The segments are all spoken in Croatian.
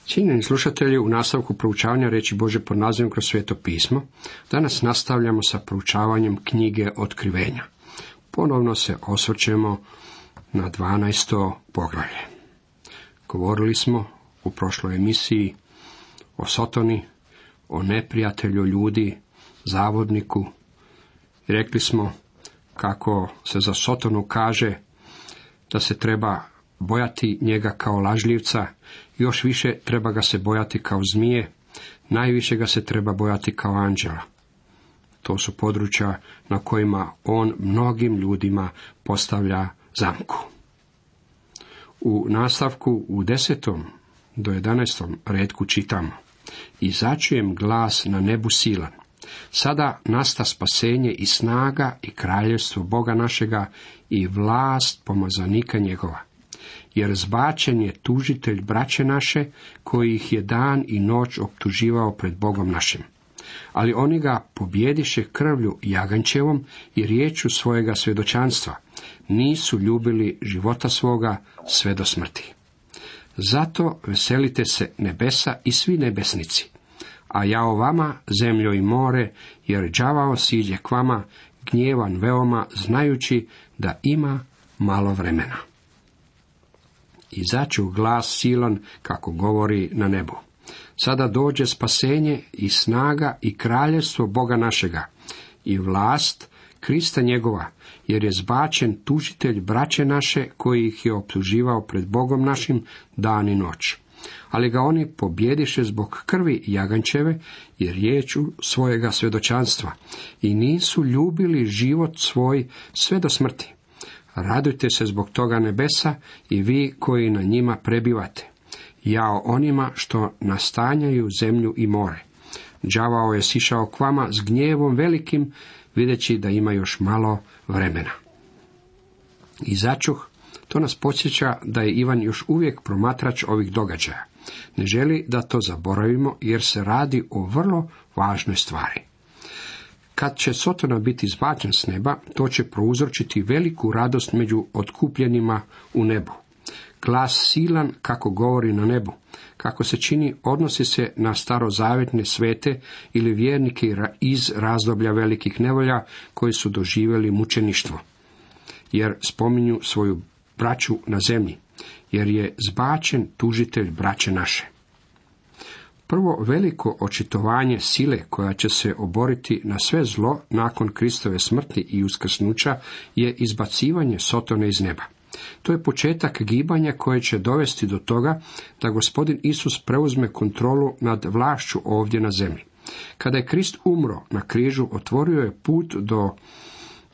Cijenjeni slušatelji, u nastavku proučavanja riječi Božje pod nazivom kroz Sveto pismo, danas nastavljamo sa proučavanjem knjige Otkrivenja. Ponovno se osvrćemo na 12. poglavlje. Govorili smo u prošloj emisiji o Sotoni, o neprijatelju ljudi, zavodniku. I rekli smo kako se za Sotonu kaže da se treba bojati njega kao lažljivca, još više treba ga se bojati kao zmije, najviše ga se treba bojati kao anđela. To su područja na kojima on mnogim ljudima postavlja zamku. U nastavku u 10. do 11. retku čitamo: I začujem glas na nebu silan. Sada nasta spasenje i snaga i kraljevstvo Boga našega i vlast pomazanika njegova. Jer zbačen je tužitelj braće naše, koji ih je dan i noć optuživao pred Bogom našim. Ali oni ga pobjediše krvlju jagančevom i riječu svojega svjedočanstva. Nisu ljubili života svoga sve do smrti. Zato veselite se nebesa i svi nebesnici. A jao vama, zemljo i more, jer đavao siđe k vama, gnjevan veoma, znajući da ima malo vremena. I začu glas silan, kako govori na nebu. Sada dođe spasenje i snaga i kraljevstvo Boga našega i vlast Krista njegova, jer je zbačen tužitelj braće naše, koji ih je optuživao pred Bogom našim dan i noć. Ali ga oni pobjediše zbog krvi jagančeve i riječu svojega svjedočanstva i nisu ljubili život svoj sve do smrti. Radujte se zbog toga nebesa i vi koji na njima prebivate. Jao onima što nastanjaju zemlju i more. Đavao je sišao k vama s gnjevom velikim, videći da ima još malo vremena. I začuh, to nas podsjeća da je Ivan još uvijek promatrač ovih događaja. Ne želi da to zaboravimo, jer se radi o vrlo važnoj stvari. Kad će Sotona biti izbačen s neba, to će prouzročiti veliku radost među otkupljenima u nebu. Glas silan, kako govori na nebu, kako se čini, odnosi se na starozavjetne svete ili vjernike iz razdoblja velikih nevolja koji su doživjeli mučeništvo, jer spominju svoju braću na zemlji, jer je zbačen tužitelj braće naše. Prvo veliko očitovanje sile koja će se oboriti na sve zlo nakon Kristove smrti i uskrsnuća je izbacivanje Sotone iz neba. To je početak gibanja koje će dovesti do toga da Gospodin Isus preuzme kontrolu nad vlašću ovdje na zemlji. Kada je Krist umro na križu, otvorio je put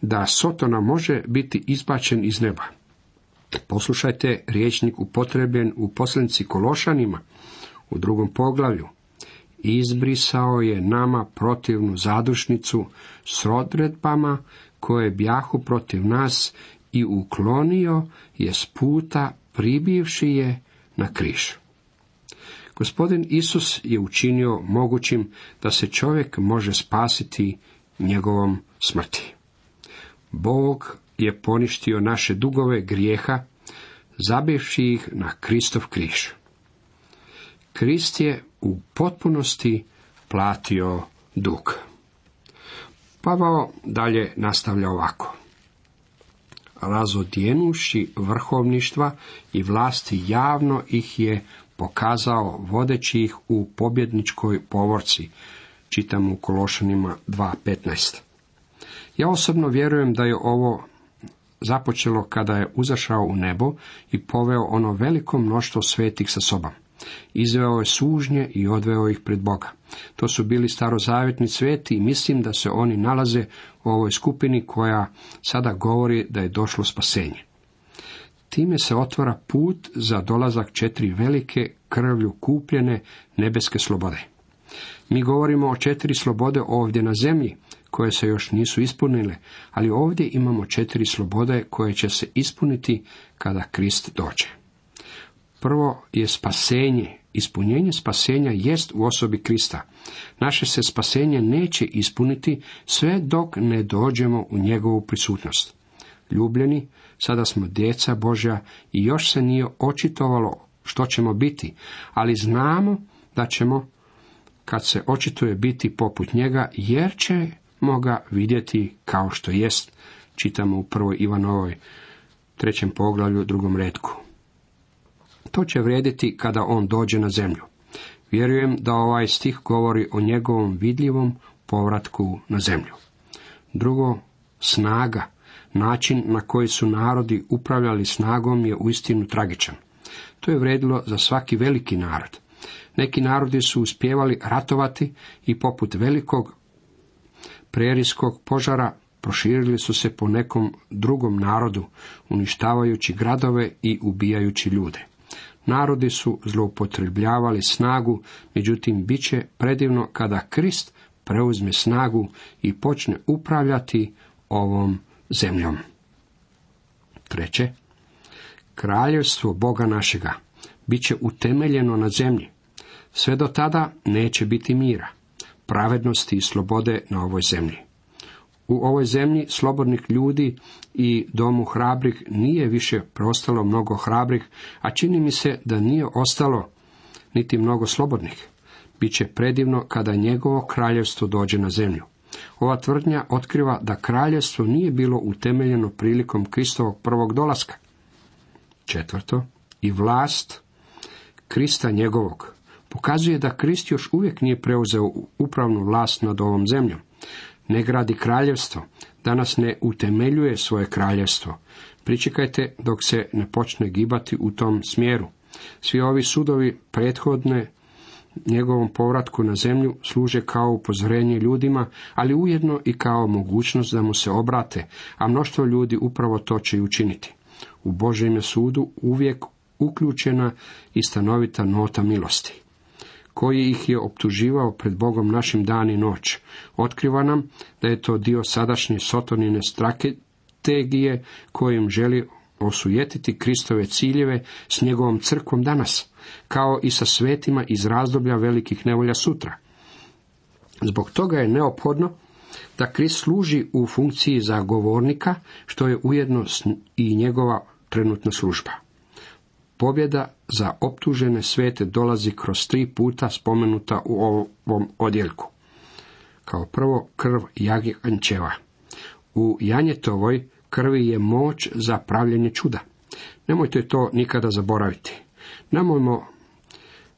da Sotona može biti izbačen iz neba. Poslušajte rječnik upotrebljen u poslanici Kološanima u 2. poglavlju. Izbrisao je nama protivnu zadušnicu s odredbama koje bjahu protiv nas i uklonio je s puta, pribivši je na križ. Gospodin Isus je učinio mogućim da se čovjek može spasiti njegovom smrti. Bog je poništio naše dugove grijeha, zabivši ih na Kristov križ. Krist je u potpunosti platio dug. Pavao dalje nastavlja ovako. Razodjenuši vrhovništva i vlasti javno ih je pokazao vodeći ih u pobjedničkoj povorci. Čitamo u Kološanima 2.15. Ja osobno vjerujem da je ovo započelo kada je uzašao u nebo i poveo ono veliko mnoštvo svetih sa sobom. Izveo je sužnje i odveo ih pred Boga. To su bili starozavjetni sveti i mislim da se oni nalaze u ovoj skupini koja sada govori da je došlo spasenje. Time se otvara put za dolazak 4 velike krvlju kupljene nebeske slobode. Mi govorimo o 4 slobode ovdje na zemlji, koje se još nisu ispunile, ali ovdje imamo 4 slobode koje će se ispuniti kada Krist dođe. Prvo je spasenje. Ispunjenje spasenja jest u osobi Krista. Naše se spasenje neće ispuniti sve dok ne dođemo u njegovu prisutnost. Ljubljeni, sada smo djeca Božja i još se nije očitovalo što ćemo biti, ali znamo da ćemo, kad se očituje, biti poput njega, jer ćemo ga vidjeti kao što jest. Čitamo u 1. Ivanovoj 3. poglavlju 2. retku. To će vrijediti kada on dođe na zemlju. Vjerujem da ovaj stih govori o njegovom vidljivom povratku na zemlju. Drugo, snaga. Način na koji su narodi upravljali snagom je uistinu tragičan. To je vrijedilo za svaki veliki narod. Neki narodi su uspijevali ratovati i poput velikog prerijskog požara proširili su se po nekom drugom narodu, uništavajući gradove i ubijajući ljude. Narodi su zloupotrebljavali snagu, međutim bit će predivno kada Krist preuzme snagu i počne upravljati ovom zemljom. Treće, kraljevstvo Boga našega bit će utemeljeno na zemlji. Sve do tada neće biti mira, pravednosti i slobode na ovoj zemlji. U ovoj zemlji slobodnih ljudi i domu hrabrih nije više preostalo mnogo hrabrih, a čini mi se da nije ostalo niti mnogo slobodnih. Biće predivno kada njegovo kraljevstvo dođe na zemlju. Ova tvrdnja otkriva da kraljevstvo nije bilo utemeljeno prilikom Kristovog prvog dolaska. Četvrto, i vlast Krista njegovog pokazuje da Krist još uvijek nije preuzeo upravnu vlast nad ovom zemljom. Ne gradi kraljevstvo, danas ne utemeljuje svoje kraljevstvo. Pričekajte dok se ne počne gibati u tom smjeru. Svi ovi sudovi prethodne njegovom povratku na zemlju služe kao upozorenje ljudima, ali ujedno i kao mogućnost da mu se obrate, a mnoštvo ljudi upravo to će i učiniti. U Božjem je sudu uvijek uključena i stanovita nota milosti. Koji ih je optuživao pred Bogom našim dan i noć. Otkriva nam da je to dio sadašnje Sotonine strategije kojim želi osujetiti Kristove ciljeve s njegovom crkvom danas, kao i sa svetima iz razdoblja velikih nevolja sutra. Zbog toga je neophodno da Krist služi u funkciji zagovornika, što je ujedno i njegova trenutna služba. Pobjeda za optužene svete dolazi kroz 3 puta spomenuta u ovom odjeljku. Kao prvo, krv jagnječeva. U janjetovoj krvi je moć za pravljenje čuda. Nemojte to nikada zaboraviti. Nemojmo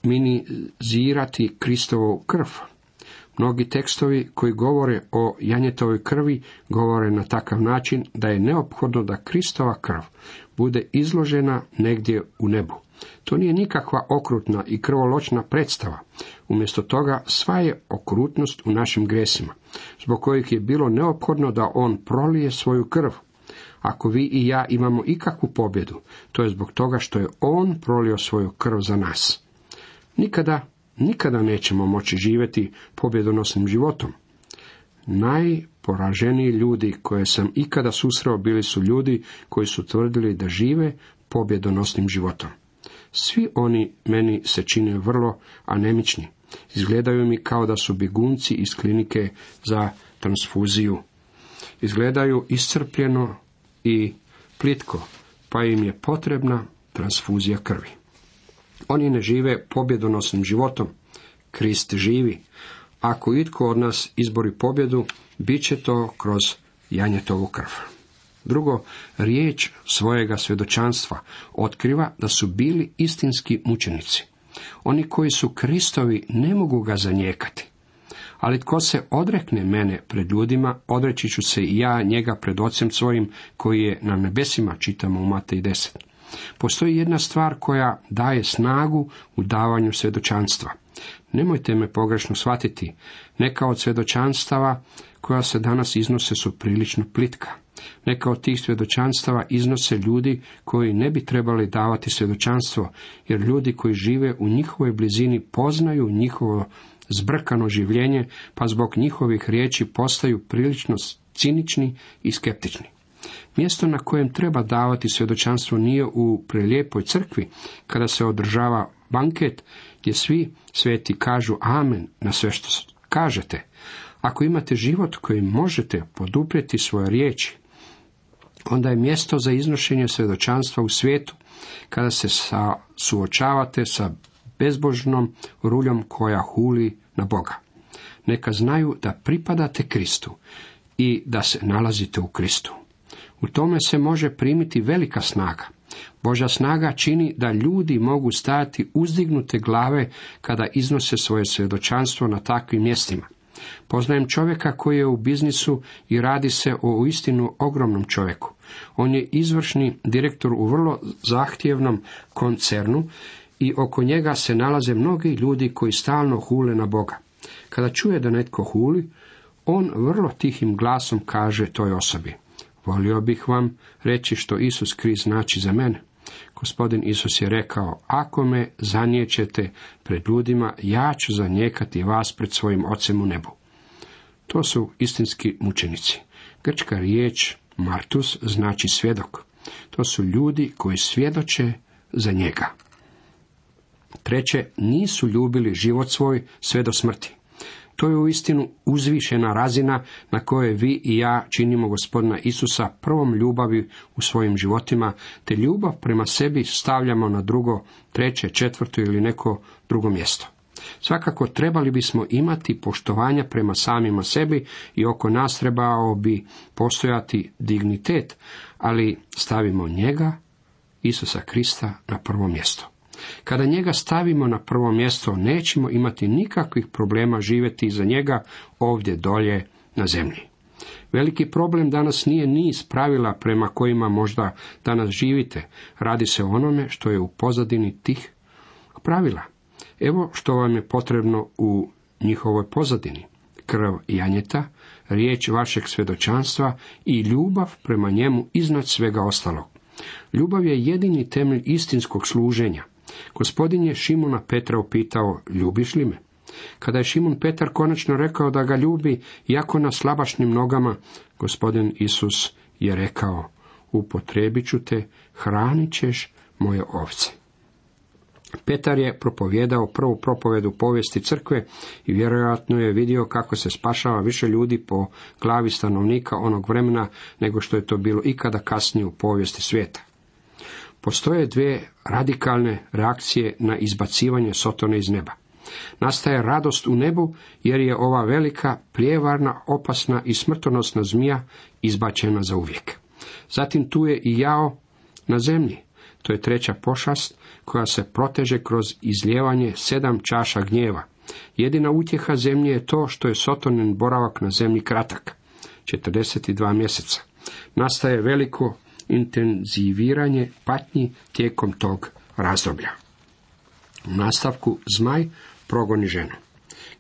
minimizirati Kristovu krv. Mnogi tekstovi koji govore o janjetovoj krvi govore na takav način da je neophodno da Kristova krv bude izložena negdje u nebu. To nije nikakva okrutna i krvoločna predstava. Umjesto toga sva je okrutnost u našim gresima, zbog kojih je bilo neophodno da on prolije svoju krv. Ako vi i ja imamo ikakvu pobjedu, to je zbog toga što je on prolio svoju krv za nas. Nikada nećemo moći živjeti pobjedonosnim životom. Najporaženiji ljudi koje sam ikada susreo bili su ljudi koji su tvrdili da žive pobjedonosnim životom. Svi oni meni se čine vrlo anemični. Izgledaju mi kao da su bjegunci iz klinike za transfuziju. Izgledaju iscrpljeno i plitko, pa im je potrebna transfuzija krvi. Oni ne žive pobjedonosnim životom. Krist živi. Ako itko od nas izbori pobjedu, bit će to kroz janjetovu krv. Drugo, riječ svojega svjedočanstva otkriva da su bili istinski mučenici. Oni koji su Kristovi ne mogu ga zanijekati. Ali tko se odrekne mene pred ljudima, odreći ću se i ja njega pred Ocem svojim koji je na nebesima, čitamo u Matej 10. Postoji jedna stvar koja daje snagu u davanju svjedočanstva. Nemojte me pogrešno shvatiti, neka od svjedočanstava koja se danas iznose su prilično plitka. Neka od tih svjedočanstava iznose ljudi koji ne bi trebali davati svjedočanstvo, jer ljudi koji žive u njihovoj blizini poznaju njihovo zbrkano življenje, pa zbog njihovih riječi postaju prilično cinični i skeptični. Mjesto na kojem treba davati svjedočanstvo nije u prelijepoj crkvi, kada se održava banket, gdje svi sveti kažu amen na sve što kažete. Ako imate život kojim možete poduprijeti svoje riječi, onda je mjesto za iznošenje svjedočanstva u svijetu, kada se suočavate sa bezbožnom ruljom koja huli na Boga. Neka znaju da pripadate Kristu i da se nalazite u Kristu. U tome se može primiti velika snaga. Božja snaga čini da ljudi mogu stajati uzdignute glave kada iznose svoje svjedočanstvo na takvim mjestima. Poznajem čovjeka koji je u biznisu i radi se o uistinu ogromnom čovjeku. On je izvršni direktor u vrlo zahtjevnom koncernu i oko njega se nalaze mnogi ljudi koji stalno hule na Boga. Kada čuje da netko huli, on vrlo tihim glasom kaže toj osobi: volio bih vam reći što Isus Krist znači za mene. Gospodin Isus je rekao: ako me zaniječete pred ljudima, ja ću zanijekati vas pred svojim Ocem u nebu. To su istinski mučenici. Grčka riječ martus znači svjedok. To su ljudi koji svjedoče za njega. Treće, nisu ljubili život svoj sve do smrti. To je uistinu uzvišena razina na kojoj vi i ja činimo Gospodina Isusa prvom ljubavi u svojim životima, te ljubav prema sebi stavljamo na drugo, treće, četvrto ili neko drugo mjesto. Svakako trebali bismo imati poštovanja prema samima sebi i oko nas trebao bi postojati dignitet, ali stavimo njega, Isusa Krista, na prvo mjesto. Kada njega stavimo na prvo mjesto, nećemo imati nikakvih problema živjeti iza njega ovdje dolje na zemlji. Veliki problem danas nije niz pravila prema kojima možda danas živite. Radi se o onome što je u pozadini tih pravila. Evo što vam je potrebno u njihovoj pozadini: krv janjeta, riječ vašeg svjedočanstva i ljubav prema njemu iznad svega ostalog. Ljubav je jedini temelj istinskog služenja. Gospodin je Šimuna Petra upitao: ljubiš li me? Kada je Šimun Petar konačno rekao da ga ljubi, iako na slabašnim nogama, Gospodin Isus je rekao: upotrijebit ću te, hranit ćeš moje ovce. Petar je propovijedao prvu propovedu povijesti crkve i vjerojatno je vidio kako se spašava više ljudi po glavi stanovnika onog vremena nego što je to bilo ikada kasnije u povijesti svijeta. Postoje dvije radikalne reakcije na izbacivanje Sotone iz neba. Nastaje radost u nebu jer je ova velika, prijevarna, opasna i smrtonosna zmija izbačena za uvijek. Zatim tu je i jao na zemlji. To je treća pošast koja se proteže kroz izlijevanje 7 čaša gnjeva. Jedina utjeha zemlje je to što je Sotonin boravak na zemlji kratak, 42 mjeseca. Nastaje veliko intenziviranje patnji tijekom tog razdoblja. U nastavku zmaj progoni ženu.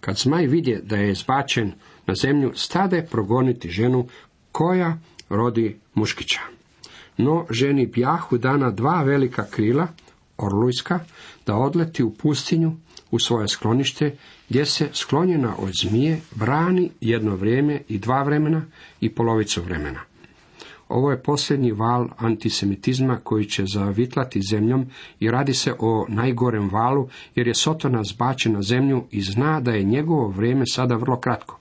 Kad zmaj vidje da je zbačen na zemlju, stade progoniti ženu koja rodi muškića. No ženi bjahu dana 2 velika krila, orlujska, da odleti u pustinju u svoje sklonište, gdje se sklonjena od zmije brani jedno vrijeme i 2 vremena i polovicu vremena. Ovo je posljednji val antisemitizma koji će zavitlati zemljom i radi se o najgorem valu, jer je Sotona zbačen na zemlju i zna da je njegovo vrijeme sada vrlo kratko.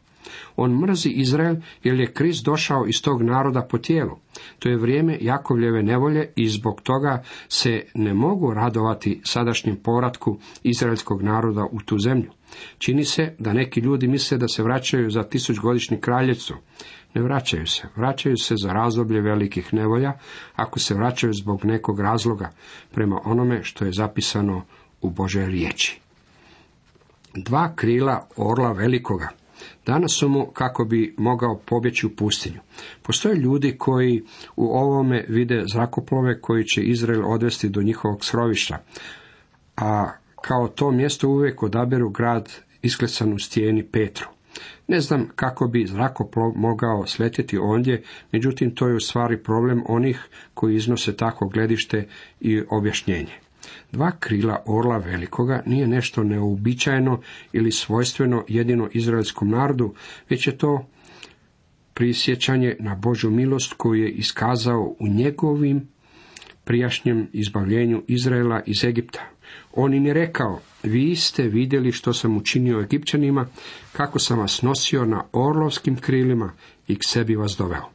On mrzi Izrael jer je Krist došao iz tog naroda po tijelu. To je vrijeme Jakovljeve nevolje i zbog toga se ne mogu radovati sadašnjem povratku izraelskog naroda u tu zemlju. Čini se da neki ljudi misle da se vraćaju za 1000-godišnje kraljevstvo. Ne vraćaju se. Vraćaju se za razdoblje velikih nevolja, ako se vraćaju zbog nekog razloga, prema onome što je zapisano u Božoj riječi. 2 krila orla velikoga. Danas su mu kako bi mogao pobjeći u pustinju. Postoje ljudi koji u ovome vide zrakoplove koji će Izrael odvesti do njihovog skrovišta, a kao to mjesto uvijek odaberu grad isklesan u stijeni Petru. Ne znam kako bi zrakoplov mogao sletjeti ondje, međutim to je u stvari problem onih koji iznose tako gledište i objašnjenje. 2 krila orla velikoga nije nešto neuobičajeno ili svojstveno jedino izraelskom narodu, već je to prisjećanje na Božju milost koju je iskazao u njegovim prijašnjem izbavljenju Izraela iz Egipta. On im je rekao: vi ste vidjeli što sam učinio Egipćanima, kako sam vas nosio na orlovskim krilima i k sebi vas doveo.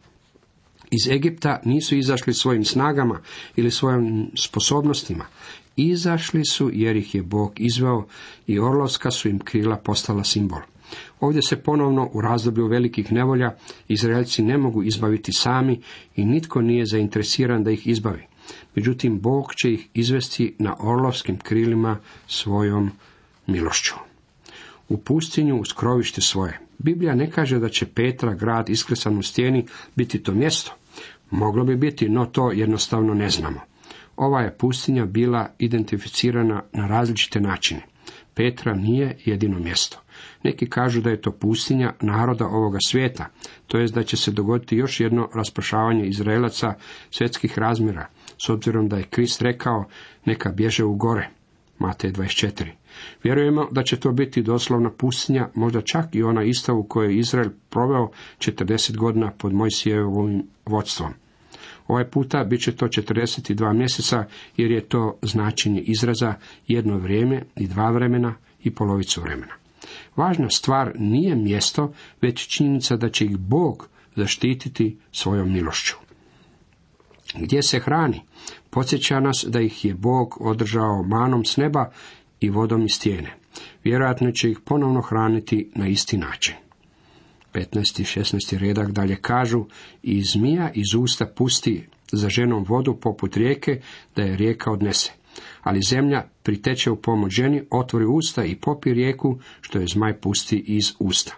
Iz Egipta nisu izašli svojim snagama ili svojim sposobnostima. Izašli su jer ih je Bog izveo i orlovska su im krila postala simbol. Ovdje se ponovno u razdoblju velikih nevolja Izraelci ne mogu izbaviti sami i nitko nije zainteresiran da ih izbavi. Međutim, Bog će ih izvesti na orlovskim krilima svojom milošću. U pustinju uz krovište svoje. Biblija ne kaže da će Petra, grad isklesan u stijeni, biti to mjesto. Moglo bi biti, no to jednostavno ne znamo. Ova je pustinja bila identificirana na različite načine. Petra nije jedino mjesto. Neki kažu da je to pustinja naroda ovoga svijeta, to jest da će se dogoditi još jedno raspršavanje Izraelaca svjetskih razmjera, s obzirom da je Krist rekao neka bježe u gore. Matej 24. Vjerujemo da će to biti doslovna pustinja, možda čak i ona ista u kojoj je Izrael proveo 40 godina pod Mojsijevim vodstvom. Ovaj puta bit će to 42 mjeseca, jer je to značenje izraza jedno vrijeme i dva vremena i polovicu vremena. Važna stvar nije mjesto, već činjenica da će ih Bog zaštititi svojom milošću. Gdje se hrani? Podsjeća nas da ih je Bog održao manom s neba i vodom iz stijene. Vjerojatno će ih ponovno hraniti na isti način. 15. i 16. redak dalje kažu: i zmija iz usta pusti za ženom vodu poput rijeke, da je rijeka odnese. Ali zemlja priteče u pomoć ženi, otvori usta i popi rijeku, što je zmaj pusti iz usta.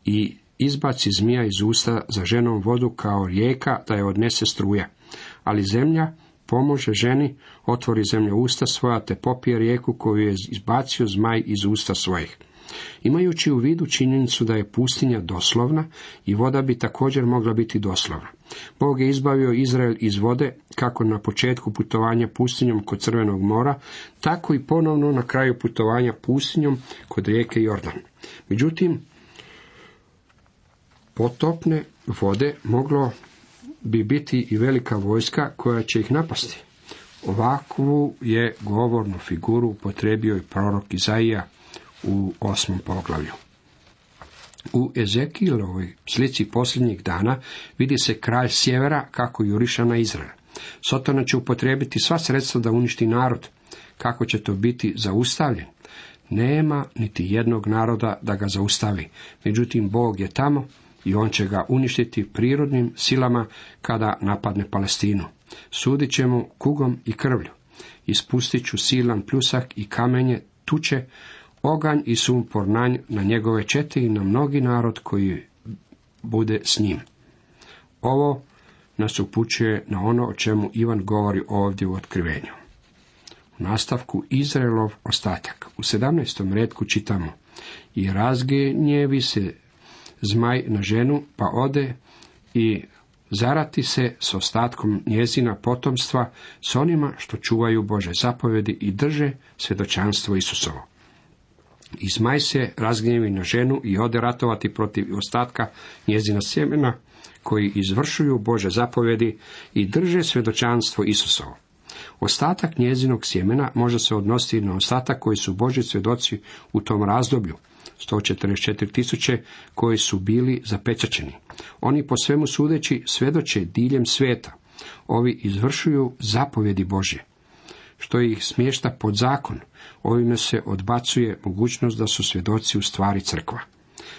I izbaci zmija iz usta za ženom vodu kao rijeka, da je odnese struja. Ali zemlja pomože ženi, otvori zemlja usta svoja, te popije rijeku koju je izbacio zmaj iz usta svojih. Imajući u vidu činjenicu da je pustinja doslovna, i voda bi također mogla biti doslovna. Bog je izbavio Izrael iz vode, kako na početku putovanja pustinjom kod Crvenog mora, tako i ponovno na kraju putovanja pustinjom kod rijeke Jordan. Međutim, potopne vode moglo bi biti i velika vojska koja će ih napasti. Ovakvu je govornu figuru upotrijebio i prorok Izaija u 8. poglavlju. U Ezekielovoj slici posljednjih dana vidi se kralj sjevera kako juriša na Izrael. Sotona će upotrijebiti sva sredstva da uništi narod. Kako će to biti zaustavljen? Nema niti jednog naroda da ga zaustavi. Međutim, Bog je tamo i on će ga uništiti prirodnim silama kada napadne Palestinu. Sudit će mu kugom i krvlju. Ispustit ću silan pljusak i kamenje tuče, oganj i sumpor na njegove čete i na mnogi narod koji bude s njim. Ovo nas upućuje na ono o čemu Ivan govori ovdje u Otkrivenju. U nastavku Izraelov ostatak. U 17. retku čitamo: i razgnjevi se zmaj na ženu, pa ode i zarati se s ostatkom njezina potomstva, s onima što čuvaju Bože zapovjedi i drže svjedočanstvo Isusovo. I zmaj se razgnjevi na ženu i ode ratovati protiv ostatka njezina sjemena, koji izvršuju Bože zapovjedi i drže svjedočanstvo Isusovo. Ostatak njezinog sjemena može se odnositi na ostatak koji su Božji svjedoci u tom razdoblju, 144.000 koji su bili zapečaćeni. Oni po svemu sudeći svjedoče diljem svijeta. Ovi izvršuju zapovjedi Božje, što ih smješta pod zakon. Ovime se odbacuje mogućnost da su svjedoci u stvari crkva.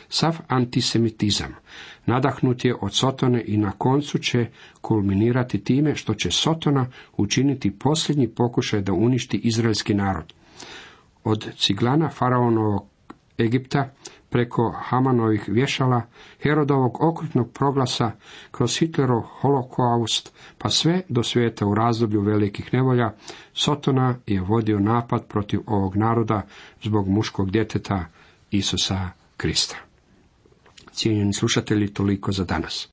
Sav antisemitizam nadahnut je od Sotone i na koncu će kulminirati time što će Sotona učiniti posljednji pokušaj da uništi izraelski narod. Od ciglana faraonovog Egipta, preko Hamanovih vješala, Herodovog okrutnog proglasa, kroz Hitlerov holokaust, pa sve do svijeta u razdoblju velikih nevolja, Sotona je vodio napad protiv ovog naroda zbog muškog djeteta Isusa Krista. Cijenjeni slušatelji, toliko za danas.